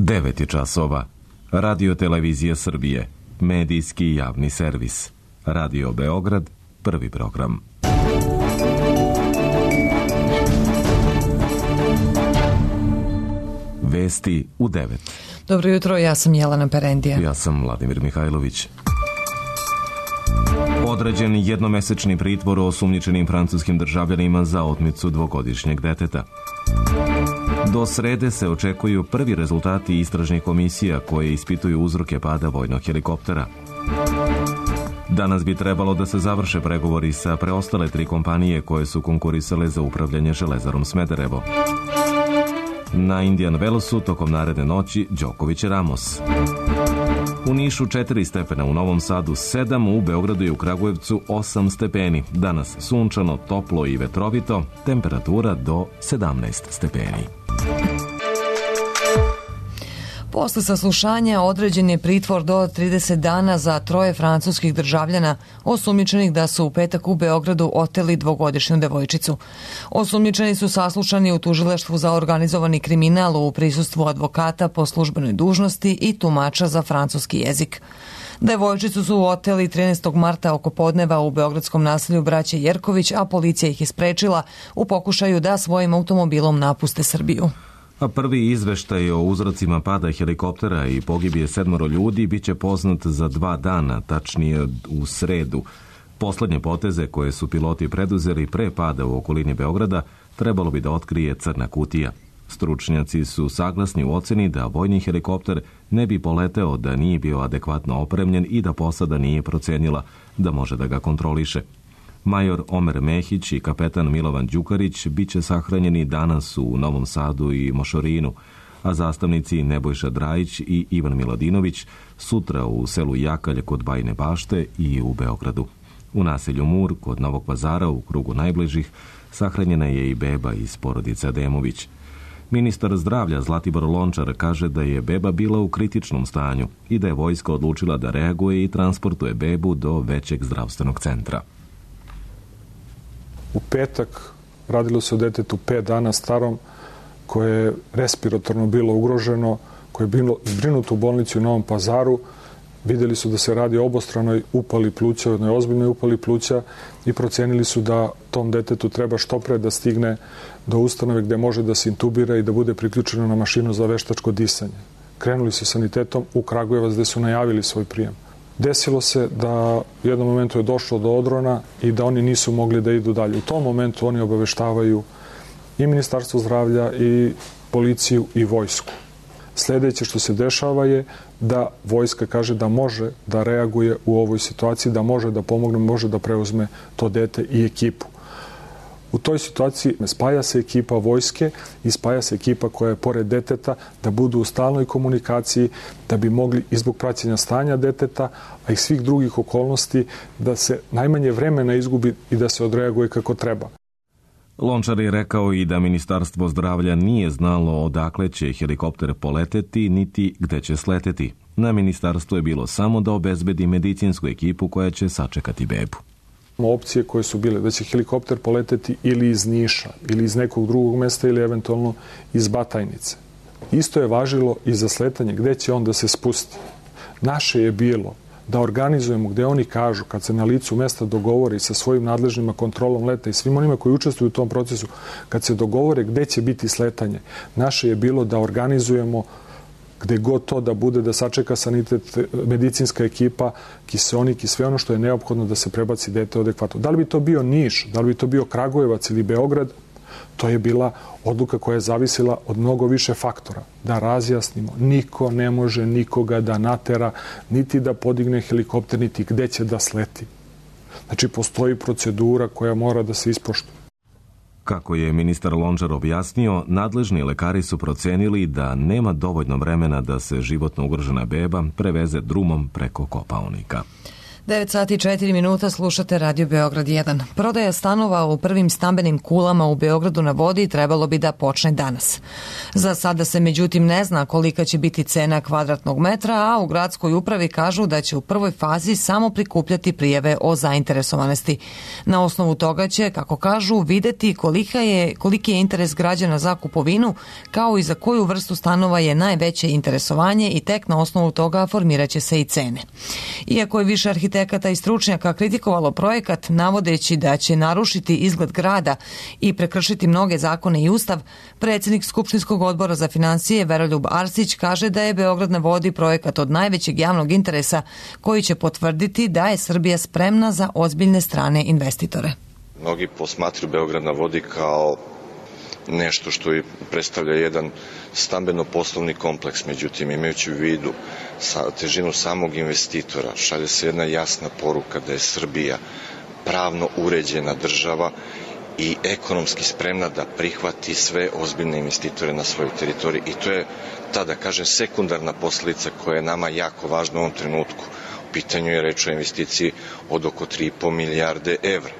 9 časova. Radio Televizija Srbije. Medijski javni servis. Radio Beograd. Prvi program. Vesti u 9. Dobro jutro, ja sam Jelena Perendija. Ja sam Vladimir Mihajlović. Određen jednomesečni pritvor osumnjičenim francuskim državljanima za otmicu dvogodišnjeg deteta. Do srede se očekuju prvi rezultati istražnih komisija koje ispituju uzroke pada vojnog helikoptera. Danas bi trebalo da se završe pregovori sa preostale 3 kompanije koje su konkurisale za upravljanje Železarom Smederevo. Na Indian Wellsu tokom naredne noći Đoković Ramos. U Nišu 4 stepena, u Novom Sadu 7, u Beogradu i u Kragujevcu 8 stepeni. Danas sunčano, toplo i vetrovito, temperatura do 17 stepeni. Posle saslušanja određen je pritvor do 30 dana za 3 francuskih državljana osumnjičenih da su u petak u Beogradu oteli dvogodišnju devojčicu. Osumnjičeni su saslušani u tužilaštvu za organizovani kriminal u prisustvu advokata po službenoj dužnosti i tumača za francuski jezik. Devojčicu su oteli 13. marta oko podneva u beogradskom naselju braće Jerković, a policija ih je sprečila u pokušaju da svojim automobilom napuste Srbiju. A prvi izveštaj o uzrocima pada helikoptera i pogibije 7 ljudi biće poznat za 2 dana, tačnije u sredu. Poslednje poteze koje su piloti preduzeli pre pada u okolini Beograda trebalo bi da otkrije crna kutija. Stručnjaci su saglasni u oceni da vojni helikopter ne bi poleteo da nije bio adekvatno opremljen i da posada nije procenila da može da ga kontroliše. Major Omer Mehić i kapetan Milovan Đukarić biće sahranjeni danas u Novom Sadu i Mošorinu, a zastavnici Nebojša Drajić i Ivan Miladinović sutra u selu Jakalj kod Bajine Bašte i u Beogradu. U naselju Mur kod Novog Pazara u krugu najbližih sahranjena je i beba iz porodice Ademović. Ministar zdravlja Zlatibor Lončar kaže da je beba bila u kritičnom stanju i da je vojska odlučila da reaguje i transportuje bebu do većeg zdravstvenog centra. U petak radilo se o detetu 5 dana starom koje je respiratorno bilo ugroženo, koje je bilo zbrinuto u bolnici u Novom Pazaru. Vidjeli su da se radi o obostranoj upali pluća, jednoj ozbiljnoj upali pluća i procenili su da tom detetu treba što pre da stigne do ustanove gde može da se intubira i da bude priključeno na mašinu za veštačko disanje. Krenuli su sanitetom u Kragujevac gde su najavili svoj prijem. Desilo se da u jednom momentu je došlo do odrona i da oni nisu mogli da idu dalje. U tom momentu oni obaveštavaju i Ministarstvo zdravlja i policiju i vojsku. Sljedeće što se dešava je da vojska kaže da može da reaguje u ovoj situaciji, da može da pomogne, može da preuzme to dete i ekipu. U toj situaciji spaja se ekipa vojske i spaja se ekipa koja je pored deteta da budu u stalnoj komunikaciji, da bi mogli i zbog praćenja stanja deteta, a i svih drugih okolnosti, da se najmanje vremena izgubi i da se odreaguje kako treba. Lončar je rekao i da Ministarstvo zdravlja nije znalo odakle će helikopter poleteti niti gde će sleteti. Na ministarstvu je bilo samo da obezbedi medicinsku ekipu koja će sačekati bebu. Opcije koje su bile da će helikopter poleteti ili iz Niša, ili iz nekog drugog mesta, ili eventualno iz Batajnice. Isto je važilo i za sletanje, gde će on da se spusti. Naše je bilo da organizujemo gde oni kažu, kad se na licu mesta dogovore sa svojim nadležnima kontrolom leta i svim onima koji učestvuju u tom procesu, kad se dogovore gde će biti sletanje, naše je bilo da organizujemo gde god to da bude, da sačeka sanitet, medicinska ekipa, kiseonik i sve ono što je neophodno da se prebaci dete adekvatno. Da li bi to bio Niš, da li bi to bio Kragujevac ili Beograd, to je bila odluka koja je zavisila od mnogo više faktora. Da razjasnimo, niko ne može nikoga da natera, niti da podigne helikopter, niti gde će da sleti. Znači, postoji procedura koja mora da se ispoštuje. Kako je ministar Lončar objasnio, nadležni lekari su procenili da nema dovoljno vremena da se životno ugrožena beba preveze drumom preko Kopaonika. 9 sati i 4 minuta, slušate Radio Beograd 1. Prodaja stanova u prvim stambenim kulama u Beogradu na vodi trebalo bi da počne danas. Za sada se međutim ne zna kolika će biti cena kvadratnog metra, a u gradskoj upravi kažu da će u prvoj fazi samo prikupljati prijave o zainteresovanosti. Na osnovu toga će, kako kažu, videti koliki je interes građana za kupovinu, kao i za koju vrstu stanova je najveće interesovanje i tek na osnovu toga formiraće se i cene. Iako je više arhitekata i stručnjaka kritikovalo projekat navodeći da će narušiti izgled grada i prekršiti mnoge zakone i ustav, predsjednik Skupštinskog odbora za financije Veroljub Arsić kaže da je Beograd na vodi projekat od najvećeg javnog interesa koji će potvrditi da je Srbija spremna za ozbiljne strane investitore. Mnogi posmatruju Beograd na vodi kao nešto što predstavlja jedan stambeno-poslovni kompleks, međutim imajući u vidu težinu samog investitora, šalje se jedna jasna poruka da je Srbija pravno uređena država i ekonomski spremna da prihvati sve ozbiljne investitore na svojoj teritoriji i to je ta, da kažem, sekundarna posledica koja je nama jako važna u ovom trenutku. U pitanju je reč o investiciji od oko 3,5 milijarde evra.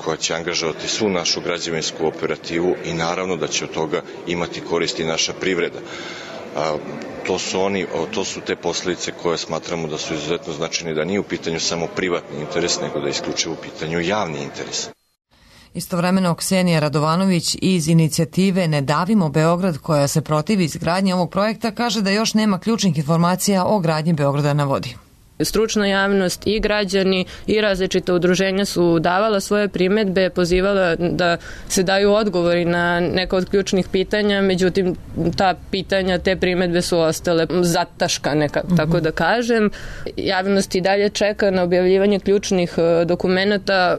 Koja će angažovati svu našu građevinsku operativu i naravno da će od toga imati koristi naša privreda. To su te posljedice koje smatramo da su izuzetno značajne, da nije u pitanju samo privatni interes, nego da je isključivo u pitanju javni interes. Istovremeno Ksenija Radovanović iz inicijative Ne davimo Beograd, koja se protivi izgradnji ovog projekta, kaže da još nema ključnih informacija o gradnji Beograda na vodi. Stručna javnost i građani i različita udruženja su davala svoje primedbe, pozivala da se daju odgovori na neka od ključnih pitanja, međutim ta pitanja, te primedbe su ostale zataškane, tako da kažem. Javnost i dalje čeka na objavljivanje ključnih dokumenata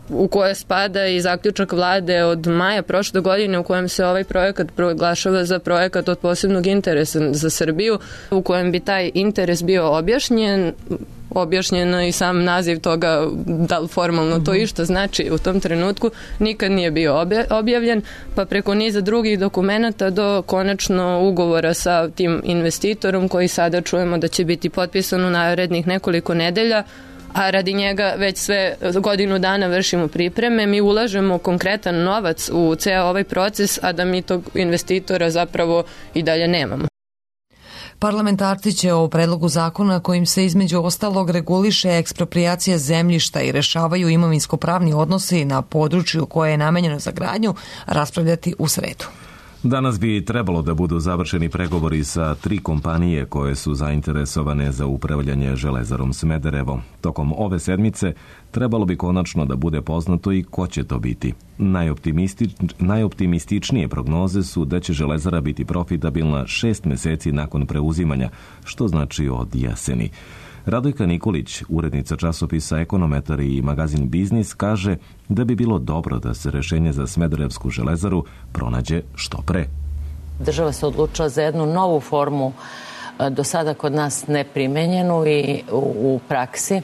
u koje spada i zaključak vlade od maja prošle godine u kojem se ovaj projekat proglašava za projekat od posebnog interesa za Srbiju, u kojem bi taj interes bio objašnjen. Objašnjeno i sam naziv toga, da li formalno to išta znači u tom trenutku, nikad nije bio objavljen, pa preko niza drugih dokumenata do konačno ugovora sa tim investitorom koji sada čujemo da će biti potpisan u narednih nekoliko nedelja, a radi njega već sve godinu dana vršimo pripreme. Mi ulažemo konkretan novac u ceo ovaj proces, a da mi tog investitora zapravo i dalje nemamo. Parlamentarci će o predlogu zakona kojim se između ostalog reguliše eksproprijacija zemljišta i rešavaju imovinsko-pravni odnosi na području koje je namenjeno za gradnju raspravljati u sredu. Danas bi trebalo da budu završeni pregovori sa 3 kompanije koje su zainteresovane za upravljanje Železarom Smederevo. Tokom ove sedmice trebalo bi konačno da bude poznato i ko će to biti. Najoptimističnije prognoze su da će Železara biti profitabilna 6 meseci nakon preuzimanja, što znači od jeseni. Radojka Nikolić, urednica časopisa Ekonometar i magazin Biznis, kaže da bi bilo dobro da se rešenje za Smederevsku železaru pronađe što pre. Država se odlučila za jednu novu formu, do sada kod nas neprimenjenu i u praksi.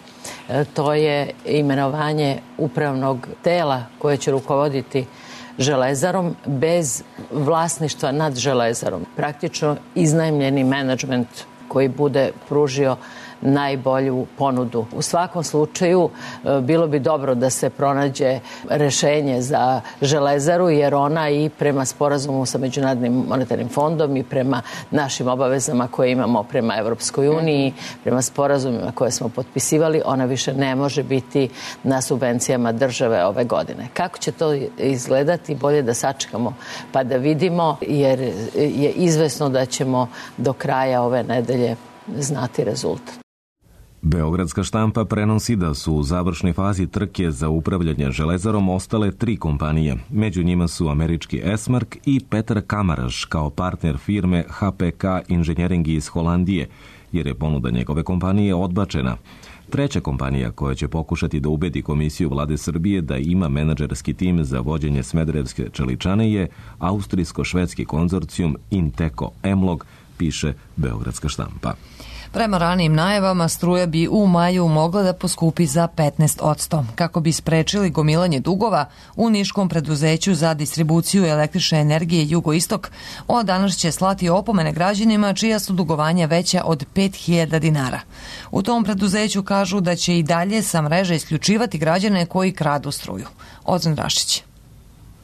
To je imenovanje upravnog tela koje će rukovoditi Železarom bez vlasništva nad Železarom. Praktično iznajmljeni menadžment koji bude pružio najbolju ponudu. U svakom slučaju bilo bi dobro da se pronađe rešenje za Železaru, jer ona i prema sporazumu sa Međunarodnim monetarnim fondom i prema našim obavezama koje imamo prema Evropskoj uniji, prema sporazumima koje smo potpisivali, ona više ne može biti na subvencijama države ove godine. Kako će to izgledati, bolje da sačekamo pa da vidimo, jer je izvesno da ćemo do kraja ove nedelje znati rezultat. Beogradska štampa prenosi da su u završnoj fazi trke za upravljanje Železarom ostale 3 kompanije. Među njima su američki Esmark i Petar Kamaraš kao partner firme HPK Inženjering iz Holandije, jer je ponuda njegove kompanije odbačena. Treća kompanija koja će pokušati da ubedi Komisiju Vlade Srbije da ima menadžerski tim za vođenje Smederevske čeličane je austrijsko-švedski konzorcijum Inteko Emlog, piše Beogradska štampa. Prema ranijim najavama, struja bi u maju mogla da poskupi za 15%. Kako bi sprečili gomilanje dugova, u niškom preduzeću za distribuciju električne energije Jugoistok od danas će slati opomene građanima čija su dugovanja veća od 5.000 dinara. U tom preduzeću kažu da će i dalje sa mreže isključivati građane koji kradu struju. Ozan Rašić.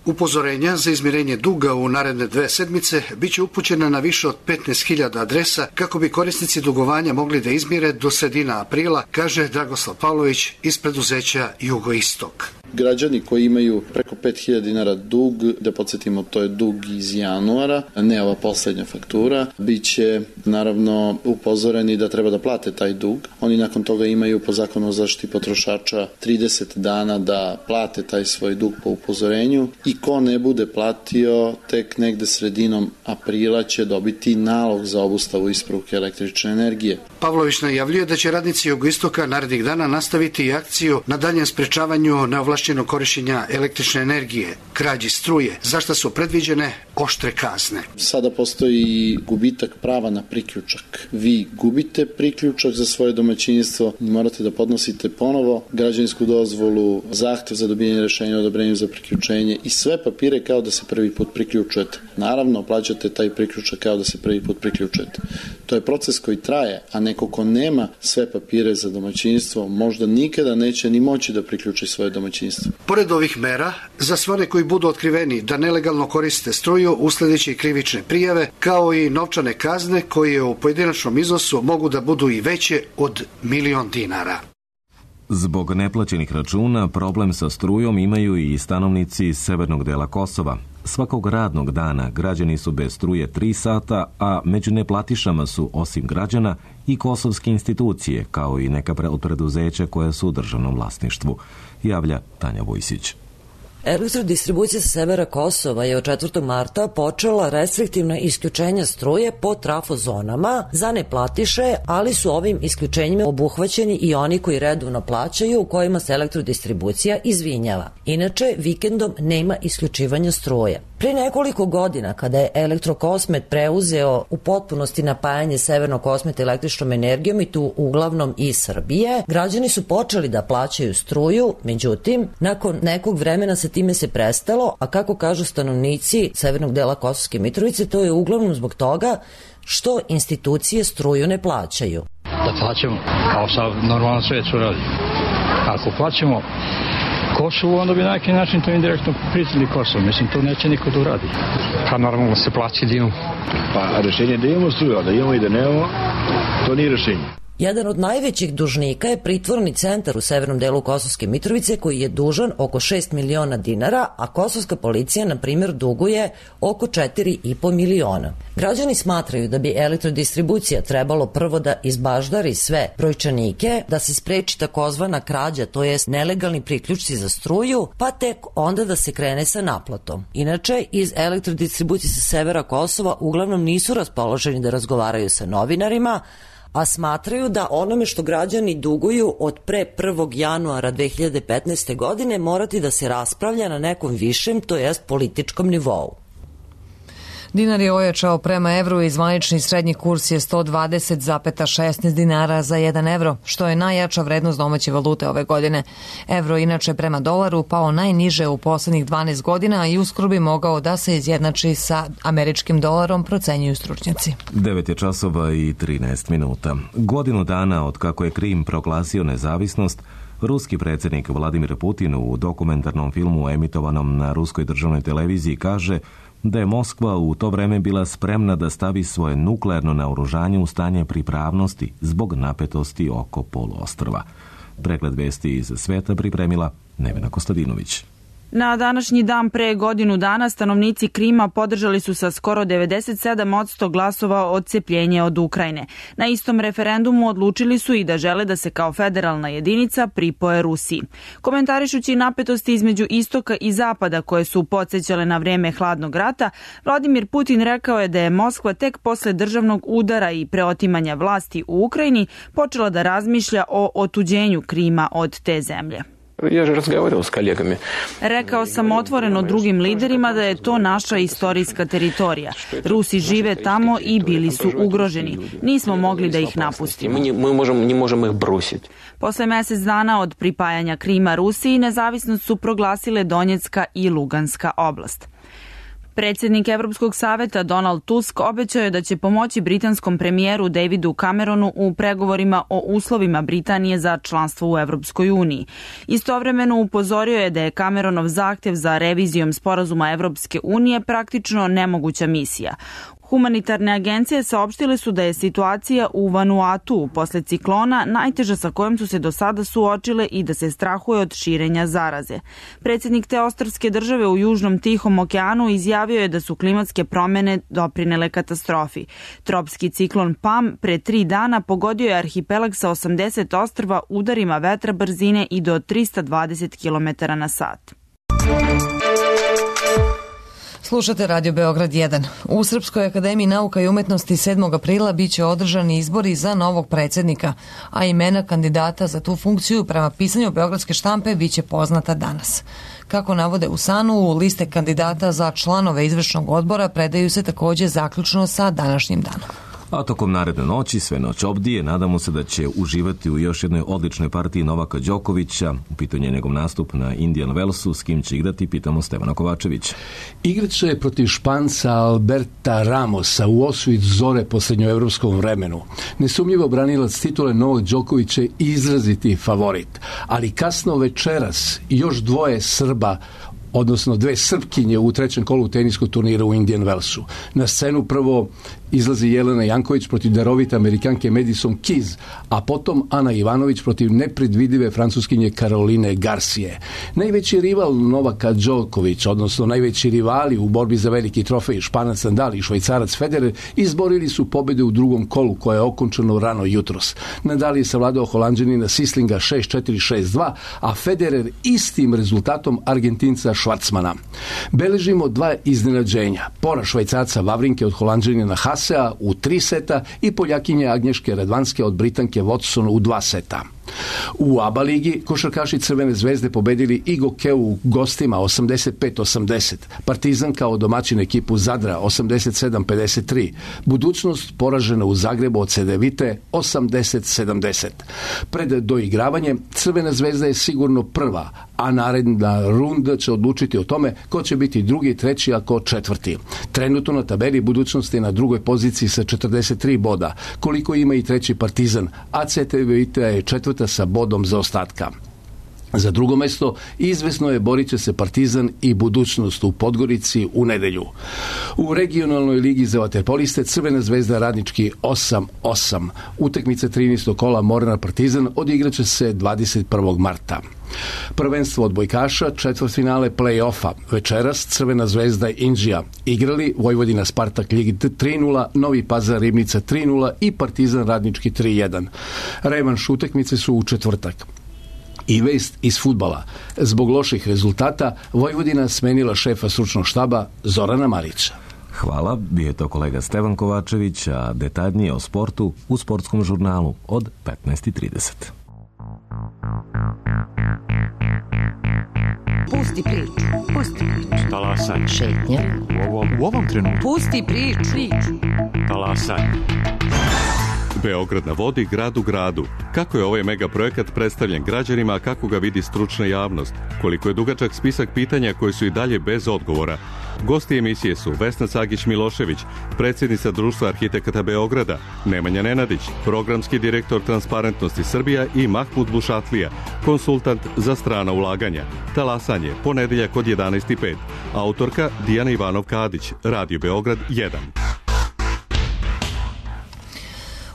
Upozorenja za izmirenje duga u naredne 2 sedmice biće upućena na više od 15.000 adresa kako bi korisnici dugovanja mogli da izmire do sredina aprila, kaže Dragoslav Pavlović iz preduzeća Jugoistok. Građani koji imaju preko 5.000 dinara dug, da podsjetimo, to je dug iz januara, a ne ova poslednja faktura, biće naravno upozoreni da treba da plate taj dug. Oni nakon toga imaju po zakonu o zaštiti potrošača 30 dana da plate taj svoj dug po upozorenju i ko ne bude platio, tek negde sredinom aprila će dobiti nalog za obustavu isporuke električne energije. Pavlović najavljuje da će radnici Jugoistoka narednih dana nastaviti i akciju na daljem sprečavanju neovlašćenog korišćenja električne energije, krađi struje, za šta su predviđene oštre kazne. Sada postoji gubitak prava na priključak. Vi gubite priključak za svoje domaćinstvo, morate da podnosite ponovo građevinsku dozvolu, zahtev za dobijanje rešenja o odobrenju za priključenje i sve papire kao da se prvi put priključujete. Naravno, plaćate taj priključak kao da se prvi put priključujete. To je proces koji traje, a neko ko nema sve papire za domaćinstvo možda nikada neće ni moći da priključi svoje domaćinstvo. Pored ovih mera, za sve one koji budu otkriveni da nelegalno koriste struju, usledeće i krivične prijave, kao i novčane kazne koje u pojedinačnom iznosu mogu da budu i veće od 1.000.000 dinara. Zbog neplaćenih računa, problem sa strujom imaju i stanovnici severnog dela Kosova. Svakog radnog dana građani su bez struje 3 sata, a među neplatišama su, osim građana, i kosovske institucije, kao i neka od preduzeća koja su u državnom vlasništvu, javlja Tanja Vojsić. Elektrodistribucija sa severa Kosova je od 4. marta počela restriktivna isključenja struje po trafozonama za neplatiše, ali su ovim isključenjima obuhvaćeni i oni koji redovno plaćaju, u kojima se elektrodistribucija izvinjava. Inače, vikendom nema isključivanja struje. Pre nekoliko godina, kada je Elektrokosmet preuzeo u potpunosti napajanje Severnog Kosmeta električnom energijom i tu uglavnom iz Srbije, građani su počeli da plaćaju struju, međutim, nakon nekog vremena sa time se prestalo, a kako kažu stanovnici severnog dela Kosovske Mitrovice, to je uglavnom zbog toga što institucije struju ne plaćaju. Da plaćamo kao sa normalno svet što radi. Ako plaćamo Kosovu, onda bi na neki način to indirektno priznali Kosovo. Mislim, to neće niko da uradi. Pa normalno se plaći da imamo. Pa rešenje da imamo struju, a da imamo i da nemamo, to nije rešenje. Jedan od najvećih dužnika je pritvorni centar u severnom delu Kosovske Mitrovice koji je dužan oko 6 miliona dinara, a kosovska policija, na primjer, duguje oko 4,5 miliona. Građani smatraju da bi elektrodistribucija trebalo prvo da izbaždari sve brojčanike, da se spreči takozvana krađa, to jest nelegalni priključci za struju, pa tek onda da se krene sa naplatom. Inače, iz elektrodistribucije sa severa Kosova uglavnom nisu raspoloženi da razgovaraju sa novinarima, a smatraju da onome što građani duguju od pre 1. januara 2015. godine morati da se raspravlja na nekom višem, to jest političkom nivou. Dinar je ojačao prema evru i zvanični srednji kurs je 120,16 dinara za 1 evro, što je najjača vrednost domaće valute ove godine. Evro inače prema dolaru pao najniže u poslednjih 12 godina i uskoro bi mogao da se izjednači sa američkim dolarom, procenjuju stručnjaci. 9:13. Godinu dana od kako je Krim proglasio nezavisnost, ruski predsjednik Vladimir Putin u dokumentarnom filmu emitovanom na ruskoj državnoj televiziji kaže da je Moskva u to vreme bila spremna da stavi svoje nuklearno naoružanje u stanje pripravnosti zbog napetosti oko poluostrva. Pregled vesti iz sveta pripremila Nevena Kostadinović. Na današnji dan pre godinu dana stanovnici Krima podržali su sa skoro 97% glasova odcepljenje od Ukrajine. Na istom referendumu odlučili su i da žele da se kao federalna jedinica pripoje Rusiji. Komentarišući napetosti između istoka i zapada koje su podsjećale na vreme hladnog rata, Vladimir Putin rekao je da je Moskva tek posle državnog udara i preotimanja vlasti u Ukrajini počela da razmišlja o otuđenju Krima od te zemlje. Rekao sam otvoreno drugim liderima da je to naša istorijska teritorija. Rusi žive tamo i bili su ugroženi. Nismo mogli da ih napustimo. Posle mesec dana od pripajanja Krima Rusiji, nezavisnost su proglasile Donjecka i Luganska oblast. Predsjednik Evropskog saveta Donald Tusk obećao je da će pomoći britanskom premijeru Davidu Cameronu u pregovorima o uslovima Britanije za članstvo u Evropskoj uniji. Istovremeno upozorio je da je Cameronov zahtjev za revizijom sporazuma Evropske unije praktično nemoguća misija. Humanitarne agencije saopštile su da je situacija u Vanuatu posle ciklona najteža sa kojom su se do sada suočile i da se strahuje od širenja zaraze. Predsjednik te ostrvske države u Južnom Tihom okeanu izjavio je da su klimatske promjene doprinele katastrofi. Tropski ciklon Pam pre 3 dana pogodio je arhipelag sa 80 ostrva udarima vetra brzine i do 320 km na sat. Slušate Radio Beograd 1. U Srpskoj akademiji nauka i umetnosti 7. aprila biće održani izbori za novog predsjednika, a imena kandidata za tu funkciju prema pisanju Beogradske štampe biće poznata danas. Kako navode u SANU, liste kandidata za članove izvršnog odbora predaju se također zaključno sa današnjim danom. A tokom naredne noći, sve noć obdije, nadamo se da će uživati u još jednoj odličnoj partiji Novaka Đokovića. U pitanju je njegov nastup na Indian Wellsu, s kim će igrati, pitamo Stevana Kovačevića. Igraće protiv Španca Alberta Ramosa u osvit zore po srednjoevropskom vremenu. Nesumnjivo branilac titule Novak Đoković je izraziti favorit, ali kasno večeras još dvoje Srba, odnosno 2 Srpkinje u 3. kolu teniskog turnira u Indian Wellsu. Na scenu prvo izlazi Jelena Janković protiv darovite Amerikanke Madison Keys, a potom Ana Ivanović protiv nepredvidive Francuskinje Caroline Garcije. Najveći rival Novaka Đoković, odnosno najveći rivali u borbi za veliki trofej, Španac Nadal i Švajcarac Federer, izborili su pobjede u drugom kolu koje je okončano rano jutros. Nadal je savladao Holanđanina Sislinga 6-4, 6-2, a Federer istim rezultatom Argentinca Švarcmana. Beležimo 2 iznenađenja. Poraz Švajcarca Vavrinke od Holanđanina Hasea u 3 seta i Poljakinje Agnješke Radvanske od Britanke Watson u 2 seta. U ABA ligi košarkaši Crvene zvezde pobedili i Gokeu u gostima 85-80, Partizan kao domaćin ekipu Zadra 87-53, Budućnost poražena u Zagrebu od Cedevite 80-70. Pred doigravanje Crvena zvezda je sigurno prva, a naredna runda će odlučiti o tome ko će biti drugi, treći, a ko četvrti. Trenutno na tabeli Budućnost je na drugoj poziciji sa 43 boda, koliko ima i treći Partizan, a Cedevita je četvrta sa bodom zaostatka. Za drugo mesto izvesno je borit će se Partizan i Budućnost u Podgorici u nedelju. U regionalnoj ligi za vaterpoliste Crvena zvezda Radnički 8-8. Utakmice 13. kola Mornar Partizan odigraće se 21. marta. Prvenstvo odbojkaša, četvrtfinale play-offa. Večeras Crvena zvezda i Inđija igrali, Vojvodina Spartak Ligi 3-0, Novi Pazar Ribnica 3-0 i Partizan Radnički 3-1. Revanš utakmice su u četvrtak. I vest iz fudbala. Zbog loših rezultata Vojvodina smenila šefa stručnog štaba Zorana Marića. Hvala, bio je to kolega Stevan Kovačević, a detaljnije o sportu u sportskom žurnalu od 15:30. Pusti priču, pusti priču. Talasanje. Šetnje. U ovom trenutku. Pusti priču. Talasanje. Beograd na vodi, grad u gradu. Kako je ovaj megaprojekat predstavljen građanima, a kako ga vidi stručna javnost? Koliko je dugačak spisak pitanja koji su i dalje bez odgovora? Gosti emisije su Vesna Cagić-Milošević, predsjednica Društva arhitekata Beograda, Nemanja Nenadić, programski direktor Transparentnosti Srbija i Mahmud Bušatlija, konsultant za strana ulaganja. Talasanje, ponedeljak od 11:05. Autorka Dijana Ivanov-Kadić, Radio Beograd 1.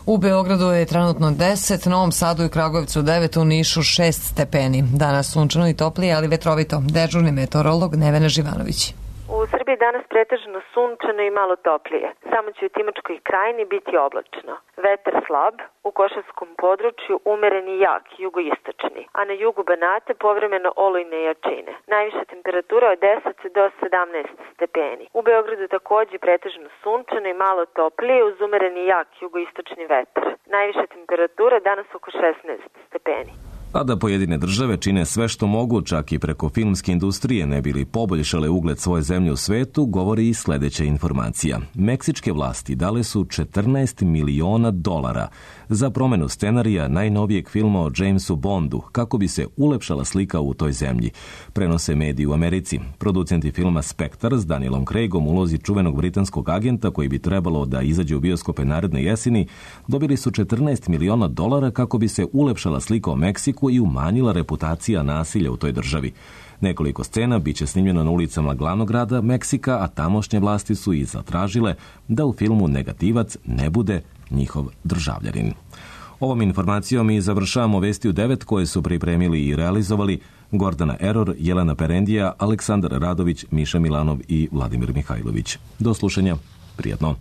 U Beogradu je trenutno 10, Novom Sadu i Kragujevcu 9, u Nišu 6 stepeni. Danas sunčano i toplije, ali vetrovito. Dežurni meteorolog Nevena Živanović. U Srbiji danas pretežno sunčano i malo toplije. Samo će u Timočkoj krajini biti oblačno. Vetar slab, u Košarskom području umeren i jak, jugoistočni, a na jugu Banata povremeno olujne jačine. Najviša temperatura od 10 do 17 stepeni. U Beogradu takođe pretežno sunčano i malo toplije uz umeren i jak jugoistočni vetar. Najviša temperatura danas oko 16 stepeni. A da pojedine države čine sve što mogu, čak i preko filmske industrije, ne bili poboljšale ugled svoje zemlje u svetu, govori i sledeća informacija. Meksičke vlasti dale su $14 miliona za promenu scenarija najnovijeg filma o Jamesu Bondu, kako bi se ulepšala slika u toj zemlji, prenose mediji u Americi. Producenti filma Spektar s Danielom Craigom u ulozi čuvenog britanskog agenta koji bi trebalo da izađe u bioskope naredne jeseni, dobili su $14 miliona kako bi se ulepšala slika o Meksiku i umanjila reputacija nasilja u toj državi. Nekoliko scena biće snimljeno na ulicama glavnog grada Meksika, a tamošnje vlasti su i zatražile da u filmu negativac ne bude njihov državljanin. Ovom informacijom i završavamo Vesti u 9 koje su pripremili i realizovali Gordana Eror, Jelena Perendija, Aleksandar Radović, Miša Milanov i Vladimir Mihajlović. Do slušanja, prijatno.